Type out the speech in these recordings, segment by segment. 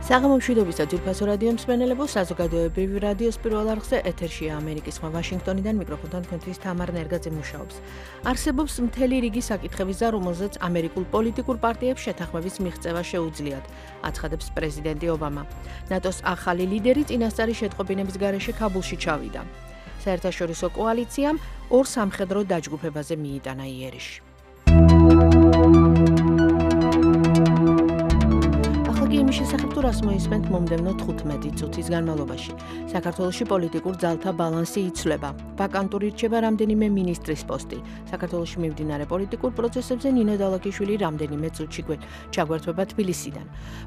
საღამო მშვიდობის და ძვირფასო რადიო მსმენელებო, საზოგადოებრივი რადიოს პირველ არხზე ეთერშია ამერიკის ხმა ვაშინგტონიდან მიკროფონთან თქვენთვის თამარ ნერგაძე მუშაობს. არსებობს მთელი რიგი საკითხების და რომელზეც ამერიკულ პოლიტიკურ პარტიებს შეთანხმების მიღწევა შეუძლიათ, აცხადებს პრეზიდენტი ობამა. ნატოს ახალი ლიდერი წინასწარი შეტყობინების გარეშე ქაბულში ჩავიდა. საერთაშორისო კოალიციამ ორ სამხედრო დაჯგუფებაზე მიიტანა იერიში. იმის შესახებ თუ რას მოისმენთ მომდევნო 15 წუთის განმავლობაში. საქართველოში პოლიტიკურ ძალთა ბალანსი იცვლება. ვაკანტური რჩება რამდენიმე მინისტრის პოსტი. საქართველოში მიმდინარე პოლიტიკურ პროცესებზე ნინო დალაკიშვილი რამდენიმე წუთში ჩაგვერთვება თბილისიდან.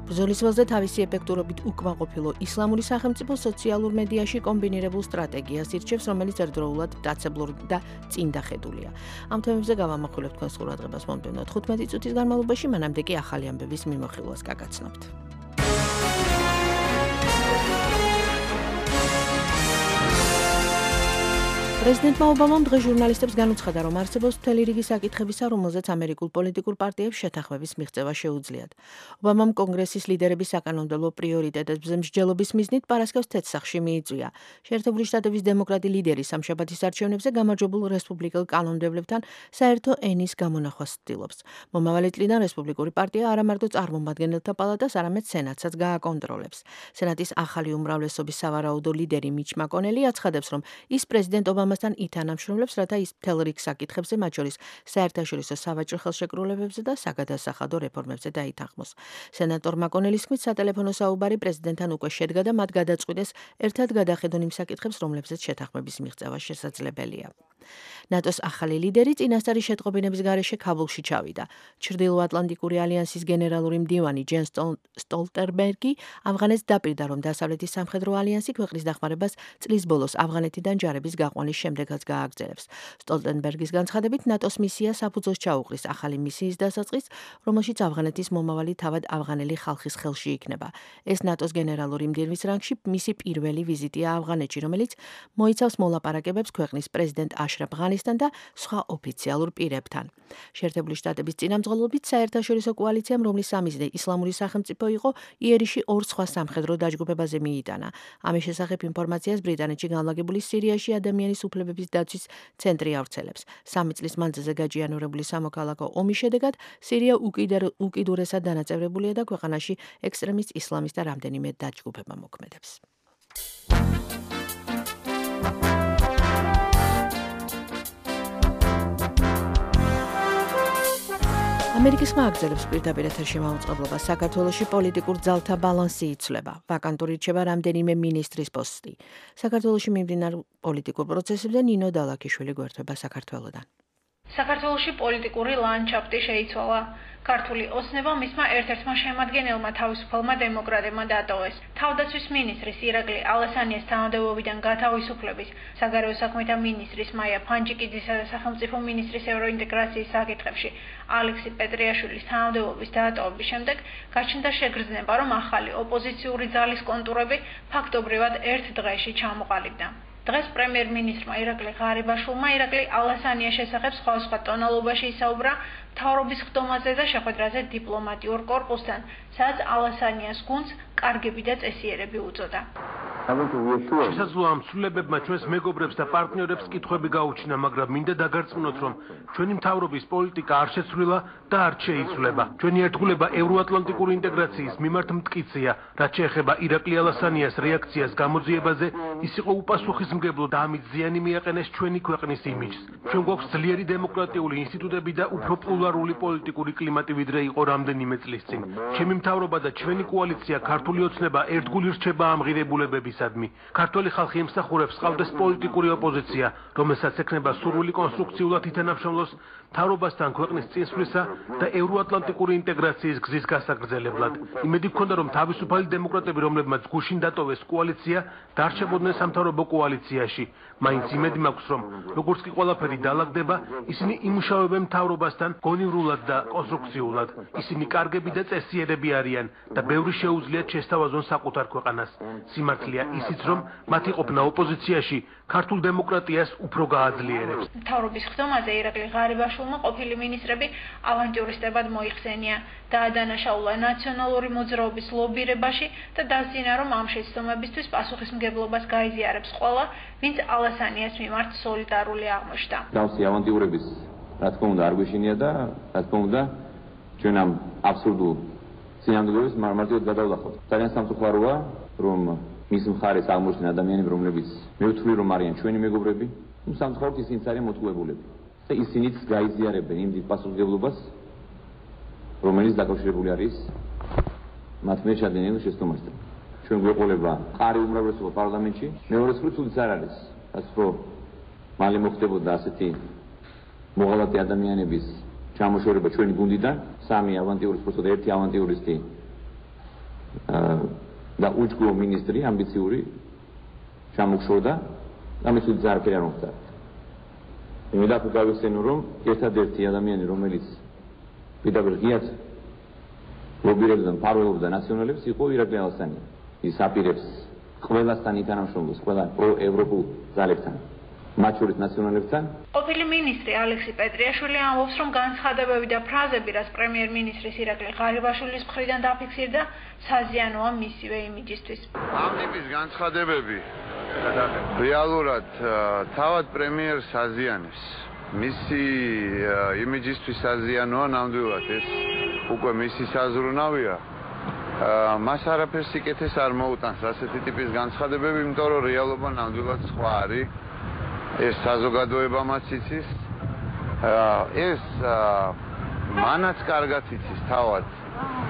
ბრძოლის ველზე თავისი ეფექტურობით უკმაყოფილო ისლამური სახელმწიფო სოციალურ მედიაში კომბინირებულ სტრატეგიას ირჩევს, რომელიც ერთდროულად მტაცებლური და წინდახედულია. ამ თემებზე გავამახვილებთ თქვენს ყურადღებას მომდევნო 15 წუთის განმავლობაში, მანამდე კი ახალი ამბების მიმოხილვას გაგაცნობთ. პრეზიდენტმა ობამამ დღეს ჟურნალისტებს განუცხადა, რომ არსებობს მთელი რიგი საკითხებისა, რომელზეც ამერიკულ პოლიტიკურ პარტიებს შეთანხმების მიღწევა შეუძლიათ. ობამამ კონგრესის ლიდერების საკანონმდებლო პრიორიტეტებზე მსჯელობის მიზნით პარასკევს თეთრსახში მიიწვია. შეერთებული შტატების დემოკრატი ლიდერი სამშაბათის არჩევნებზე გამარჯვებულ რესპუბლიკელ კანონმდებლებთან საერთო ენის გამონახვას ცდილობს. მომავალი წლიდან რესპუბლიკური პარტია არა მარტო წარმომადგენელთა პალატას, არამედ სენატსაც გააკონტროლებს. სენატის ახალი უმრავლესობის სავარაუდო ლიდერი მიჩ მაკონელი აცხადებს, რომ ის პრეზიდენტ ობამასთან ითანამშრომლებს, რათა ის მთელ რიგ საკითხებზე, მათ შორის საერთაშორისო სავაჭრო ხელშეკრულებებზე და საგადასახადო რეფორმებზე დაითანხმოს. სენატორ მაკონელის თქმით, სატელეფონო საუბარი პრეზიდენტთან უკვე შედგა და მათ გადაწყვიტეს ერთად გადახედონ იმ საკითხებს, რომლებზეც შეთანხმების მიღწევა შესაძლებელია. ნატოს ახალი ლიდერი წინასწარი შეტყობინების გარეშე ქაბულში ჩავიდა. ჩრდილოატლანტიკური ალიანსის გენერალური მდივანი ჯენ სტოლტენბერგი ავღანეთს დაპირდა, რომ დასავლეთის სამხედრო ალიანსი ქვეყნის დახმარებას წლის ბოლოს ავღანეთიდან ჯარების გაყვანის შემდეგაც გააგრძელებს. სტოლტენბერგის განცხადებით, ნატოს მისია საფუძველს ჩაუყრის ახალი მისიის დასაწყისს, რომელშიც ავღანეთის მომავალი თავად ავღანელი ხალხის ხელში იქნება. ეს ნატოს გენერალური მდივნის რანგში მისი პირველი ვიზიტია ავღანეთში, რომელიც მოიცავს მოლაპარაკებებს ქვეყნის პრეზიდენტ აშრაფ ღანისთან და სხვა ოფიციალურ პირებთან. შეერთებული შტატების წინამძღოლობით საერთაშორისო კოალიციამ, რომლის სამიზნე ისლამური სახელმწიფო იყო, იერიში ორ სხვა სამხედრო დაჯგუფებაზე მიიტანა. ამის შესახებ ინფორმაციას ბრიტანეთში განლაგებული სირიაში ადამიანის უფლებების დაცვის ცენტრი ავრცელებს. 3 წლის მანძილზე გაჯიანურებული სამოქალაქო ომის შედეგად სირია უკიდურესად დანაწევრებულია და ქვეყანაში ექსტრემისტ ისლამის და რამდენიმე დაჯგუფება მოქმედებს. ამერიკის ხმა აგრძელებს პირდაპირ ეთერში მაუწყებლობას. საქართველოში პოლიტიკურ ძალთა ბალანსი იცვლება. ვაკანტური რჩება რამდენიმე მინისტრის პოსტი. საქართველოში მიმდინარე პოლიტიკურ პროცესებზე ნინო დალაკიშვილი გვერდება საქართველოდან. საქართველოში პოლიტიკური ლანდშაფტი შეიცვალა. ქართული ოცნება მისმა ერთ-ერთმა შემადგენელმა თავისუფალმა დემოკრატებმა დატოვეს. თავდაცვის მინისტრის ირაკლი ალასანიას თანამდებობიდან გათავისუფლების, საგარეო საქმეთა მინისტრის მაია ფანჯიკიძისა და სახელმწიფო მინისტრის ევროინტეგრაციის საკითხებში ალექსი პეტრიაშვილის თანამდებობის დატოვების შემდეგ გაჩნდა შეგრძნება, რომ ახალი ოპოზიციური ძალის კონტურები ფაქტობრივად ერთ დღეში ჩამოყალიბდა. დღეს პრემიერ-მინისტრმა ირაკლი ღარიბაშვილმა ირაკლი ალასანიას შესახებ სხვადასხვა ტონალობაში ისაუბრა მთავრობის ხდომაზე და შეხვედრაზე დიპლომატიურ კორპუსთან, სადაც ალასანიას გუნდს კარგები და წესიერები უწოდა. შესაძლოა ამ ცვლილებებმა ჩვენს მეგობრებს და პარტნიორებს კითხვები გაუჩინა, მაგრამ მინდა დაგარწმუნოთ, რომ ჩვენი მთავრობის პოლიტიკა არ შეცვლილა და არ შეიცვლება. ჩვენი ერთგულება ევროატლანტიკური ინტეგრაციის მიმართ მტკიცეა, რაც შეეხება ირაკლი ალასანიას რეაქციას გამოძიებაზე, ის იყო უპასუხისმგებლო და ამით ზიანი მიაყენეს ჩვენი ქვეყნის იმიჯს. ჩვენ გვაქვს ძლიერი დემოკრატიული ინსტიტუტები და უფრო პლურალური პოლიტიკური კლიმატი, ვიდრე იყო რამდენიმე წლის წინ. ჩემი მთავრობა და ჩვენი კოალიცია ქართული ოცნება ერთგული რჩება ამ ღირებულებების. ქართველი ხალხი ემსახურებს ყავდეს პოლიტიკური ოპოზიცია, რომელსაც ექნება სურვილი კონსტრუქციულად ითანამშრომლოს მთავრობასთან ქვეყნის წინსვლისა და ევროატლანტიკური ინტეგრაციის გზის გასაგრძელებლად. იმედი გქონდა, რომ თავისუფალი დემოკრატები, რომლებმაც გუშინ დატოვეს კოალიცია, დარჩებოდნენ სამთავრობო კოალიციაში. მაინც იმედი მაქვს, რომ როგორც კი ყველაფერი დაალაგდება, ისინი იმუშავებენ მთავრობასთან გონივრულად და კონსტრუქციულად. ისინი კარგები და წესიერები არიან და ბევრი შეუძლიათ შესთავაზონ საკუთარ ქვეყანას. სიმართლე ნათქვამია ისიც, რომ მათი ყოფნა ოპოზიციაში ქართულ დემოკრატიას უფრო გააძლიერებს. მთავრობის ხდომაზე ირაკლი ღარიბაშვილმა ყოფილი მინისტრები ავანტიურისტებად მოიხსენია, დაადანაშაულა ნაციონალური მოძრაობის ლობირებაში და დასძინა, რომ ამ შეცდომებისთვის პასუხისმგებლობას გაიზიარებს ყველა, ვინც ალასანიას მიმართ სოლიდარული აღმოჩნდა. დავსი ავანტიურების რა თქმა უნდა არ გვეშინია და რა თქმა უნდა ჩვენ ამ აბსურდულ წინამორბედებს მარტივად გადავდახავთ. ძალიან სამწუხაროა, რომ მის მხარეს აღმოჩნდნენ ადამიანები, რომლებიც მე ვთვლი, რომ არიან ჩვენი მეგობრები, სამწუხაროდ ისინიც არიან მოტყუებულები. და ისინიც გაიზიარებენ იმ დიდ პასუხისმგებლობას, რომელიც დაკავშირებული არის მათ მიერ ჩადენილ შეცდომასთან. ჩვენ გვეყოლება მყარი უმრავლესობა პარლამენტში, მეორე მხრივ თულიც არ არის, რაც რომ მალე მოხდებოდა ასეთი მოღალატე ადამიანების ჩამოშორება ჩვენი გუნდიდან, სამი ავანტიურისტი, უბრალოდ ერთი ავანტიურისტი და უჯგო მინისტრი ამბიციური ჩამოშორდა და მის უძ არაფერი არ მოხდა. მე დაფუძნე გავიხსენო, რომ ერთადერთი ადამიანი, რომელიც პირდაპირ ღიად ლობირებდა და მფარველობდა ნაციონალებს, იყო ირაკლი ალასანია. ის აპირებს ყველასთან ითანამშრომლოს, ყველა პროევროპულ ძალებთან. მათ შორის ნაციონალებთან. ყოფილი მინისტრი ალექსი პეტრიაშვილი ამბობს, რომ განცხადებები და ფრაზები, რაც პრემიერ-მინისტრის ირაკლი ღარიბაშვილის მხრიდან დაფიქსირდა, საზიანოა მისივე იმიჯისთვის. ამ ტიპის განცხადებები რეალურად თავად პრემიერს აზიანებს. მისი იმიჯისთვის საზიანოა ნამდვილად, ეს უკვე მისი საზრუნავია. მას არაფერს სიკეთეს არ მოუტანს ასეთი ტიპის განცხადებები, იმიტომ რომ რეალობა ნამდვილად სხვა არის. ეს საზოგადოებამაც იცის, ეს მანაც კარგად იცის თავად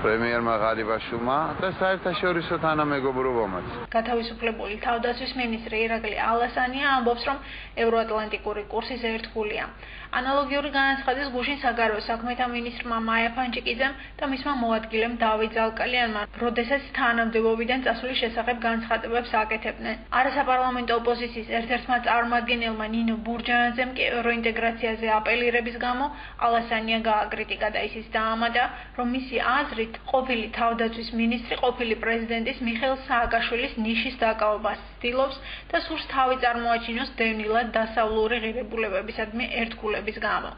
პრემიერმა ღარიბაშვილმა და საერთაშორისო თანამეგობრობამაც. გათავისუფლებული თავდაცვის მინისტრი ირაკლი ალასანია ამბობს, რომ ევროატლანტიკური კურსის ერთგულია. ანალოგიური განაცხადის გუშინ საგარეო საქმეთა მინისტრმა მაია ფანჯიკიძემ და მისმა მოადგილემ დავით ზალკალიანმა, როდესაც თანამდებობიდან წასვლის შესახებ განცხადებებს აკეთებდნენ. არასაპარლამენტო ოპოზიციის ერთ-ერთმა წარმომადგენელმა ნინო ბურჯანაძემ კი ევროინტეგრაციაზე აპელირების გამო ალასანია გააკრიტიკა და ისიც დაამატა, რომ მისი აზრით ყოფილი თავდაცვის მინისტრი ყოფილი პრეზიდენტის მიხეილ სააკაშვილის ნიშის დაკავებას ცდილობს და სურს თავი წარმოაჩინოს დევნილად დასავლური ღირებულებებისადმი ერთგულების გამო.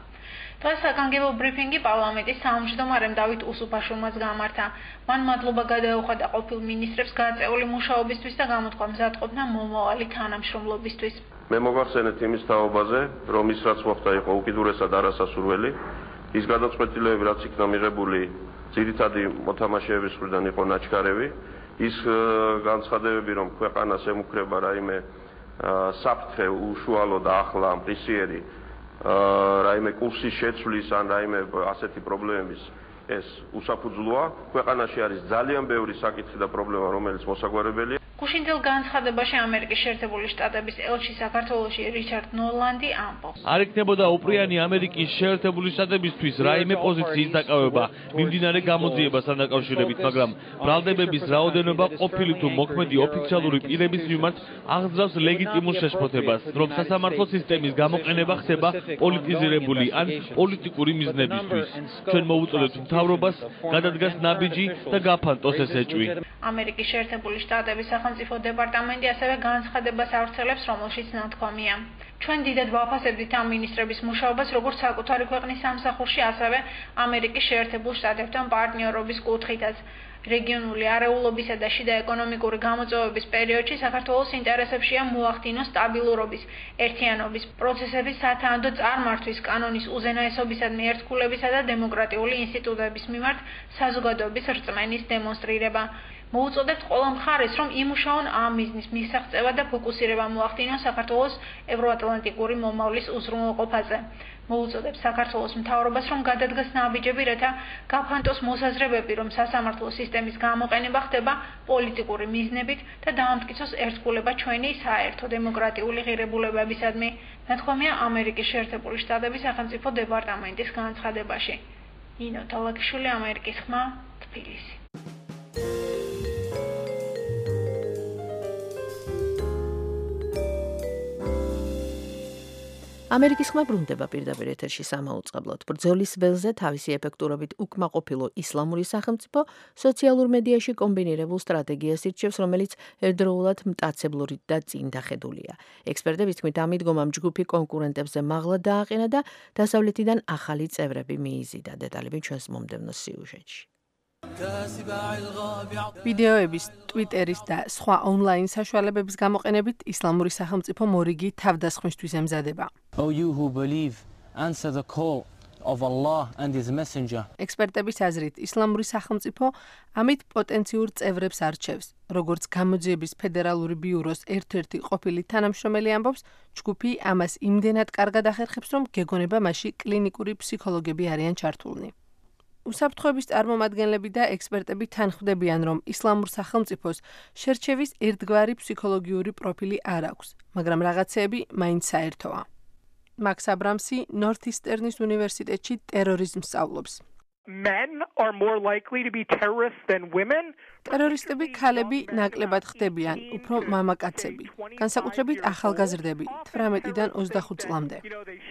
დღეს საგანგებო ბრიფინგი პარლამენტის თავმჯდომარემ დავით უსუფაშვილმაც გამართა. მან მადლობა გადაუხადა ყოფილ მინისტრებს გაწეული მუშაობისთვის და გამოთქვა მზადყოფნა მომავალი თანამშრომლობისთვის. მე მოგახსენეთ იმის თაობაზე, რომ ის რაც მოხდა იყო უკიდურესად არასასურველი. ის გადაწყვეტილებები, რაც იქნა მიღებული ძირითადი მოთამაშეების მხრიდან იყო ნაჩქარევი. ის განცხადებები, რომ ქვეყანას ემუქრება რაიმე საფრთხე უშუალო და ახლა მყისიერი რაიმე კურსის შეცვლის ან რაიმე ასეთი პრობლემების ეს უსაფუძვლოა. ქვეყანაში არის ძალიან ბევრი საკითხი და პრობლემა, რომელიც მოსაგვარებელია. გუშინდელ განცხადებაში ამერიკის შეერთებული შტატების ელჩი საქართველოში რიჩარდ ნოლანდი ამბობს. არ იქნებოდა უპრიანი ამერიკის შეერთებული შტატებისთვის რაიმე პოზიციის დაკავება მიმდინარე გამოძიებასთან დაკავშირებით, მაგრამ ბრალდებების რაოდენობა ყოფილი თუ მოქმედი ოფიციალური პირების მიმართ აღძრავს ლეგიტიმურ შეშფოთებას, რომ სასამართლო სისტემის გამოყენება ხდება პოლიტიზირებული ან პოლიტიკური მიზნებისთვის. ჩვენ მოვუწოდებთ მთავრობას გადადგას ნაბიჯი და გაფანტოს ეს ეჭვი. ამერიკის შეერთებული შტატების სახელმწიფო დეპარტამენტი ასევე განცხადებას ავრცელებს, რომელშიც ნათქვამია. ჩვენ დიდად ვაფასებდით ამ მინისტრების მუშაობას, როგორც საკუთარი ქვეყნის სამსახურში, ასევე ამერიკის შეერთებულ შტატებთან პარტნიორობის კუთხითაც. რეგიონული არეულობისა და შიდა ეკონომიკური გამოწვევების პერიოდში საქართველოს ინტერესებშია მოახდინოს სტაბილურობის, ერთიანობის, პროცესების სათანადო წარმართვის, კანონის უზენაესობისადმი ერთგულებისა და დემოკრატიული ინსტიტუტების მიმართ საზოგადოების რწმენის დემონსტრირება. მოუწოდებთ ყველა მხარეს, რომ იმუშაონ ამ მიზნის მისაღწევა და ფოკუსირება მოახდინონ საქართველოს ევროატლანტიკური მომავლის უზრუნველყოფაზე. მოუწოდებს საქართველოს მთავრობას, რომ გადადგას ნაბიჯები, რათა გაფანტოს მოსაზრებები, რომ სასამართლო სისტემის გამოყენება ხდება პოლიტიკური მიზნებით და დაამტკიცოს ერთგულება ჩვენი საერთო დემოკრატიული ღირებულებებისადმი. ნათქვამია ამერიკის შეერთებული შტატების სახელმწიფო დეპარტამენტის განცხადებაში. ნინო თალაკიშვილი, ამერიკის ხმა, თბილისი. ამერიკის ხმა ბრუნდება პირდაპირ ეთერში სამაუწყებლოდ. ბრძოლის ველზე თავისი ეფექტურობით უკმაყოფილო ისლამური სახელმწიფო სოციალურ მედიაში კომბინირებულ სტრატეგიას ირჩევს, რომელიც ერთდროულად მტაცებლური და წინდახედულია. ექსპერტების თქმით, ამ მიდგომამ ჯგუფი კონკურენტებზე მაღლა დააყენა და დასავლეთიდან ახალი წევრები მიიზიდა. დეტალები ჩვენს მომდევნო სიუჟეტში. ვიდეოების, ტვიტერის და სხვა ონლაინ საშუალებების გამოყენებით ისლამური სახელმწიფო მორიგი თავდასხმისთვის ემზადება. O you who believe, answer the call of Allah and his messenger. ექსპერტების აზრით, ისლამური სახელმწიფო ამით პოტენციურ წევრებს არჩევს. როგორც გამოძიების ფედერალური ბიუროს ერთ-ერთი ყოფილი თანამშრომელი ამბობს, ჯგუფი ამას იმდენად კარგად ახერხებს, რომ გეგონება მასში კლინიკური ფსიქოლოგები არიან ჩართულნი. უსაფრთხოების წარმომადგენლები და ექსპერტები თანხმდებიან, რომ ისლამურ სახელმწიფოს შერჩევის ერთგვარი ფსიქოლოგიური პროფილი არ აქვს, მაგრამ რაღაცეები მაინც საერთოა. Max Abramsi Northeastern უნივერსიტეტში ტერორიზმს სწავლობს. Men are more likely to be terrorists than women. ტერორისტები ქალები ნაკლებად ხდებიან, უფრო მამაკაცები, განსაკუთრებით ახალგაზრდები, 18-დან 25 წლამდე.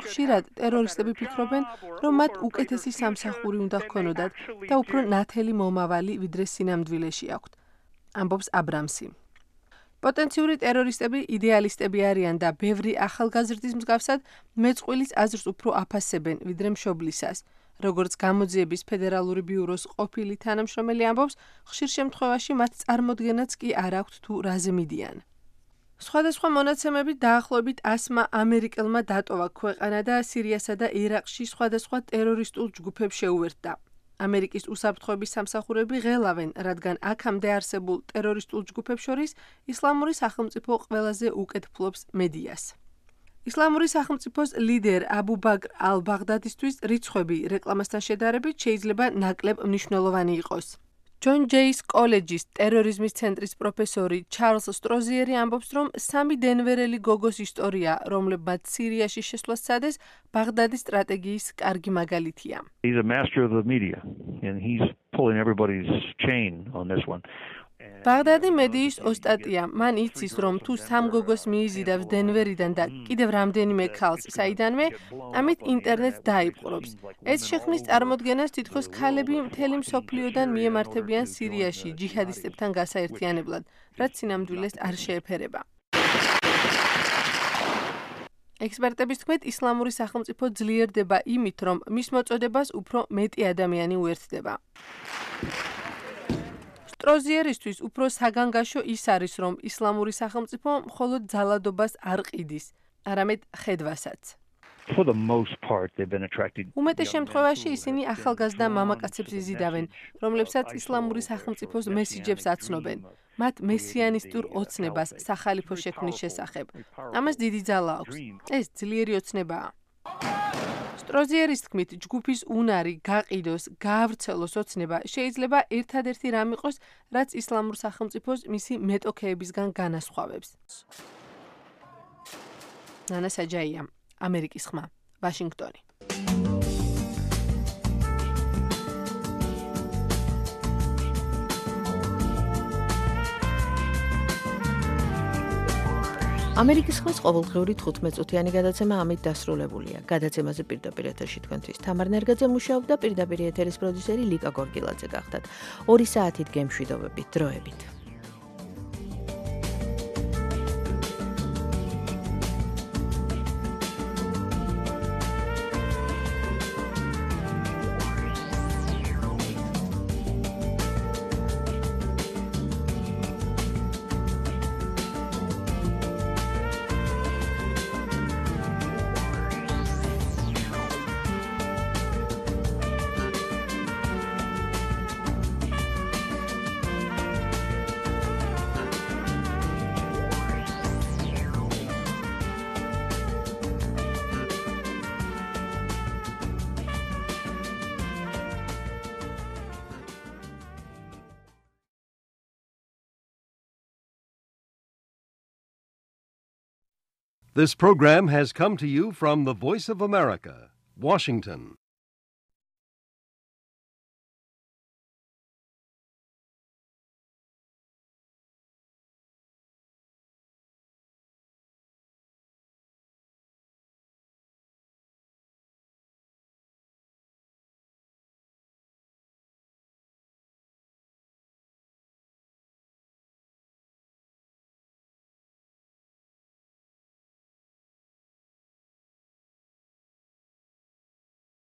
ხშირად ტერორისტები ფიქრობენ, რომ მათ უკეთესი სამსახური უნდა ჰქონოდათ და უფრო ნათელი მომავალი, ვიდრე სინამდვილეში აქვთ, ამბობს აბრამსი. პოტენციური ტერორისტები იდეალისტები არიან და ბევრი ახალგაზრდის მსგავსად მეწყვილის აზრს უფრო აფასებენ, ვიდრე მშობლისას. როგორც გამოძიების ფედერალური ბიუროს ყოფილი თანამშრომელი ამბობს, ხშირ შემთხვევაში მათ წარმოდგენაც კი არ აქვთ თუ რაზე მიდიან. სხვადასხვა მონაცემებით დაახლოებით 100 ამერიკელმა დატოვა ქვეყანა და სირიასა და ერაყში სხვადასხვა ტერორისტულ ჯგუფებს შეუერთდა. ამერიკის უსაფრთხოების სამსახურები ღელავენ, რადგან აქამდე არსებულ ტერორისტულ ჯგუფებს შორის ისლამური სახელმწიფო ყველაზე უკეთ ფლობს მედიას. ისლამური სახელმწიფოს ლიდერ აბუ ბაკრ ალ-ბაღდადისთვის რიცხვები რეკლამასთან შედარებით შეიძლება ნაკლებ მნიშვნელოვანი იყოს. ჯონ ჯეის კოლეჯის ტერორიზმის ცენტრის პროფესორი ჩარლს სტროზიერი ამბობს, რომ 3 დენვერელი გოგოს ისტორია, რომლებმაც სირიაში შესვლა სცადეს, ბაღდადის სტრატეგიის კარგი მაგალითია. He's a master of the media and he's pulling everybody's chain on this one. ბაღდადი მედიის ოსტატია. მან იცის, რომ თუ 3 გოგოს მიიზიდავს დენვერიდან და კიდევ რამდენიმე ქალს საიდანვე, ამით ინტერნეტს დაიპყრობს. ეს შექმნის წარმოდგენას, თითქოს ქალები მთელი მსოფლიოდან მიემართებიან სირიაში ჯიჰადისტებთან გასაერთიანებლად, რაც სინამდვილეს არ შეეფერება. ექსპერტების თქმით, ისლამური სახელმწიფო ძლიერდება იმით, რომ მის მოწოდებას უფრო მეტი ადამიანი უერთდება. სტროზიერისთვის უფრო საგანგაშო ის არის, რომ ისლამური სახელმწიფო მხოლოდ ძალადობას არ ყიდის, არამედ ხედვასაც. For the most part they've been attracted. უმეტეს შემთხვევაში ისინი ახალგაზრდა მამაკაცებს იზიდავენ, რომლებსაც ისლამური სახელმწიფოს მესიჯებს აცნობენ. მათ მესიანისტურ ოცნებას სახალიფო შექმნის შესახებ. ამას დიდი ძალა აქვს. ეს ძლიერი ოცნებაა. სტროზიერის თქმით, ჯგუფის უნარი გაყიდოს, გაავრცელოს ოცნება შეიძლება ერთადერთი რამ იყოს, რაც ისლამურ სახელმწიფოს მისი მეტოქეებისგან განასხვავებს. ნანა საჯაია, ამერიკის ხმა, ვაშინგტონი. ამერიკის ხმის ყოველდღიური 15 წუთიანი გადაცემა ამით დასრულებულია. გადაცემაზე პირდაპირ ეთერში თქვენთვის თამარ ნერგაძე მუშაობდა, პირდაპირ ეთერის პროდიუსერი ლიკა გორგილაძე გახდათ. 2 საათით გემშვიდობებით, დროებით. This program has come to you from the Voice of America, Washington.